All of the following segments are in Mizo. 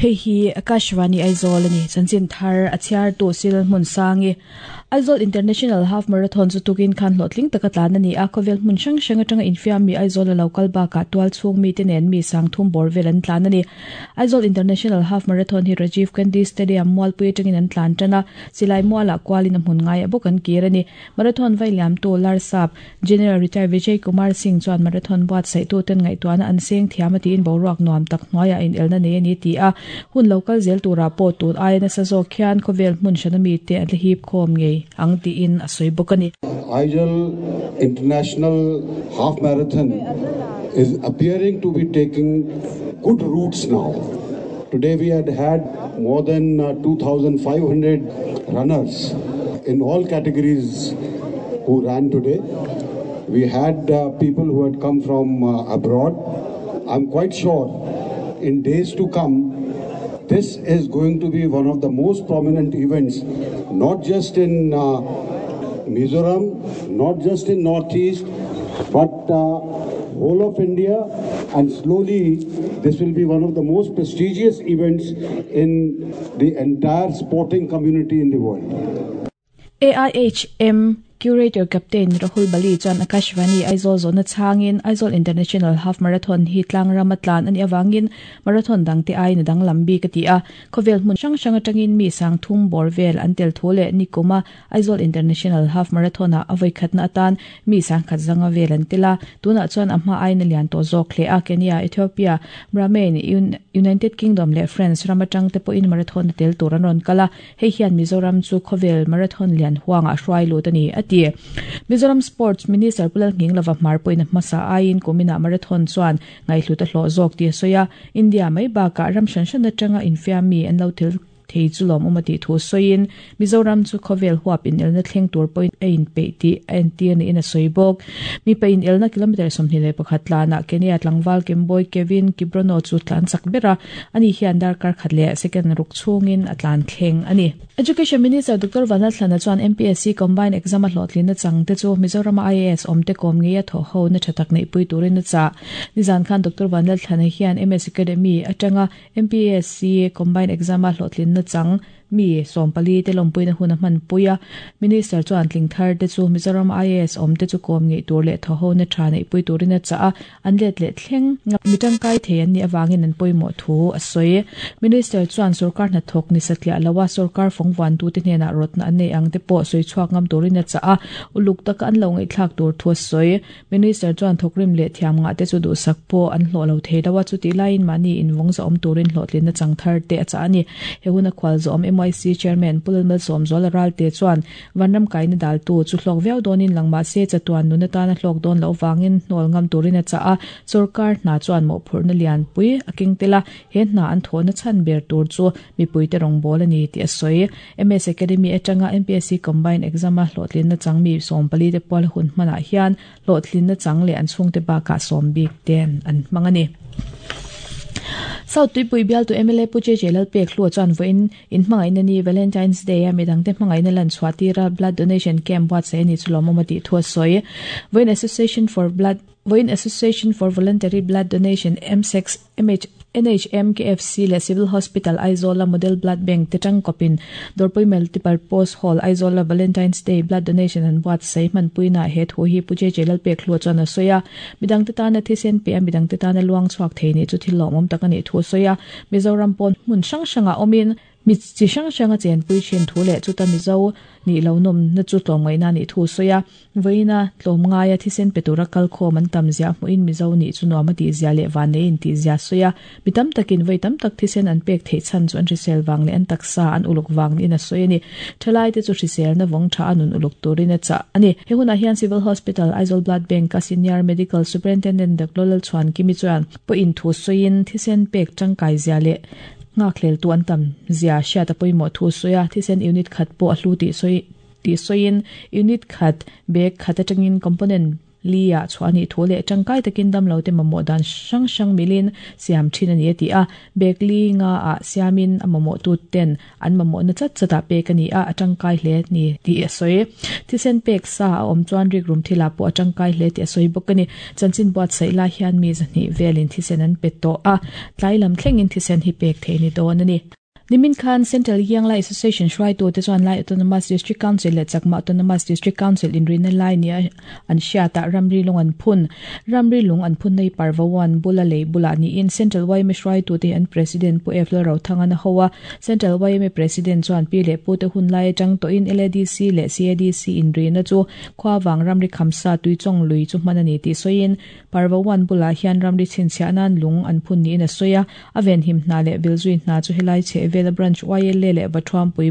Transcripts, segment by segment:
Hei hi Akashvani Aizawl a ni. Chanchin thar a chhiartu Sil Hmunsangi. Aizawl International Half Marathon chu tukin khan hlawhtling taka tlan a ni a, khawvel hmun hrang hrang atanga infiam mi Aizawl a lo kal bakah tual chhung mite nen mi sang thum bawr vel an tlan a ni. Aizawl International Half Marathon hi Rajiv Gandhi Stadium Mualpui atangin an tlan tan a, silai mualah kualin a hmun ngaiah bawk an kir a ni. Marathon vai liamtu Larsap General Retired Vijay Kumar Singh chuan marathon buatsaihtu ten ngaihtuahna an seng thiam a tiin boruak nuam tak hnuaiah inelna nei a ni ti a, hun lo kal zel turah pawh tun aia nasa zawk hian khawvel hmun hrana mite an la hip khawm ngei ang tiin a sawi bawk a ni. Aizawl International Half Marathon is appearing to be taking good roots now. Today we had had more than 2,500 runners in all categories who ran today. We had people who had come from abroad. I'm quite sure in days to come, this is going to be one of the most prominent events, not just in Mizoram, not just in Northeast, but whole of India, and slowly this will be one of the most prestigious events in the entire sporting community in the world. AIHM Curator Captain Rahul Bali chuan Akashvani Aizawl zawhna chhangin Aizawl International Half Marathon hi tlang rama tlan a nih avangin marathon dangte aiin a danglam bik a ti a. Khawvel hmun hrang hrang atangin mi sang thum bawr vel an tel thu leh nikuma Aizawl International Half Marathon-ah a vawikhatna atan mi sangkhat zanga vel an tel a, tunah chuan a hma aiin a lian tawh zawk hle a. Kenya, Ethiopia, Brahmain, United Kingdom leh France ram atang te pawhin marathon a tel tur an rawn kal a, hei hian Mizoram chu khawvel marathon lian huangah a hruai lut a ni, a ti. Mizoram Sports Minister Pu Lalnghinglova hmar pawhin a hmasa aiin kuminah marathon chuan ngaihhlut a hlawh zawk tih a sawi a, India mai bakah ram hran hran atanga infiam mi an lo tel thei chu lawmawm a tih thu sawiin Mizoram chu khawvel huap inelna thleng tur pawhin a inpeih tih a entir niin a sawi bawk. Mipa inelna kilometre 21 tlanah Kenya tlangval Kemboi Kevin Kibrono chu tlan chak ber a, ani hian darkar khat leh second ruk chhungin a tlan thleng a ni. Education Minister Doctor Vanlalthlana chuan MPSC Combined Exam a hlawhtlinna chang te chu Mizorama IAS awmte kawm ngeia thawh ho na tha tak neihpui turin a chah. Nizan khan Doctor Vanlalthlana hian MS Academy atanga MPSC Combined Exam-a hlawhtlinna chang mi 14 te lawmpuina hun a hmanpui a. Minister chuan tling thar te chu Mizoram IAS awm te chu kawm ngeih tur leh thawhona tha neihpui turin a chah a, an let leh thleng mi tangkai thei an nih avangin an pawimawh thu a sawi. Minister chuan sorkar hnathawk ni satliah lo a, sorkar fawngvuantute hnenah rawtna an nei ang te pawh sawi chhuak ngam turin a chah a, uluk taka an lo ngaihthlak tur thu a sawi. Minister chuan thawkrim leh thiam ngah te chu duhsak pawh an hlawh lo thei lo a, chutih laiin mahni invawng zahawm turin hlawhtlinna chang thar te a chah a ni. He huna khual zawhawm MYC Chairman Pu Lalmalsawmzuala Ralte chuan Vanram kaina daltu chu hlawk viau dawnin lang mah se chatuan nun atana hlawk dawn loh vangin hnawl ngam turin a chah a, sawrkar hna chuan mawhphurhna lianpui a keng tel a, he hna an thawhna chhan ber tur chu mipuite rawngbâwl a ni tih a sawi. MS Academy atanga MPSC Combined Exam-a hlawhtlinna chang mi 14 te pual hun hmanah hian hlawhtlinna chang leh an chhungte bakah sawm bik ten an hmang a ni. South Tuipui bialtu mla Pu JJ Lalpek Hlua chuan vawiin inhmangaihna ni Valentine's Day-a midangte hmangaihna lan chhuah tira blood donation camp buatsaih a ni chu lawmawm a tih thu a sawi. Vawiin Association for Blood Vawiin Association for Voluntary Blood Donation, MSEX, MH, NHM, KFC leh Civil Hospital Aizawl-a Model Blood Bank te tangkawpin Dawrpui Multipurpose Hall Aizawl-a Valentine's Day Blood Donation an buatsaih hmanpuinaah he thu hi Pu JJ Lalpekhlua chuan a sawi a. Midangte tana thisen pe a midangte tana luang chhuak thei nih chu thil lawmawm tak a nih thu a sawi a. Mizoram pawn hmun hrang hrangah awmin Mi chi hrang hrang a chenpui thin thu leh chuta Mizo nih lo nawmna chu tlawmngaihna nih thu a sawi a. Vawiina tlawmngaia thisen pe tura kalkhawm an tam ziah hmuhin Mizo nih chu nuam a tih zia leh vannei in tih zia a sawi a. Mi tam takin vawi tam tak thisen an pek theih chhan chu an hrisel vang leh an taksa an uluk vang niin a sawi a ni. Thalaite chu hriselna vawng tha a nun uluk turin a chah a ni. He hunah hian Civil Hospital, Aizawl Blood Bank-a Senior Medical Superintendent Doctor Lalchhuankimi chuan pawhin thu sawiin thisen pek tangkai zia leh Nghakhleltu an tam zia hriat a pawimawh thu sawi a, thisen unit khat pawh a hlu tih sawi tih sawiin unit khat bag khat atangin component li ah chhuah a nih thu leh tangkai takin damlo te mamawh dan hrang hrang milin siam thin a ni a ti a. Bag li nga ah siamin a mamawh tu ten an mamawhna chat chat ah pek a ni a, a tangkai hle ni tih a sawi. Thisen pek sa a awm chuan rikrum thilah pawh a tangkai hle tih a sawi bawk a ni. Chanchin buatsaih lai hian mi zahnih velin thisen an pe tawh a, tlai lam thlengin thisen hi pek theih a ni dawn a ni. Nimin khan Central Yianglai Association hruaitute chuan Lai Autonomous District Council leh Chakma Autonomous District Council inrina lai nia an hriatah ramri lung an phun. Ramri lung an phunna hi Parvawan bula lei bulah niin Central yma hruaitute hi an President Pu F Lalrothangan a ho a. Central yma President chuan pi leh pute hun lai atang tawhin LADC leh CADC inrina chu khuavang ramri khamsa tuichawng lui chu hman a ni tih sawiin Parvawan bulah hian ramri chhinchhiah nan lung an phun niin a sawi a. A venhim hna leh vilzui hna chu helai chheh vela Branch YLA leh Vathuampui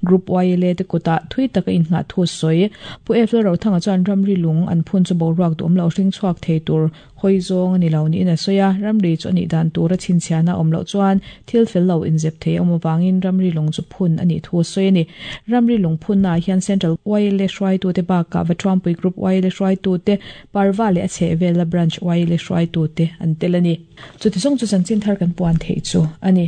Group YLA te kutah thui taka inngah thu a sawi. Pu F Lalrothanga chuan ramri lung an phun chu boruak duhawm lo hring chhuak thei tur hawi zawng a ni lo niin a sawi a, ramri chu a nih dan tura chhinchhiahna a awm loh chuan thil fel lo inzep thei a awm avangin ramri lung chu phun a nih thu a sawi a ni. Ramri lung phunnaah hian Central YLA hruaitute bakah Vathuampui Group YLA hruaitute, Parva leh a chhehvela Branch YLA hruaitute an tel a ni. Chuti zawng chu chanchin thar kan puan theih chu a ni.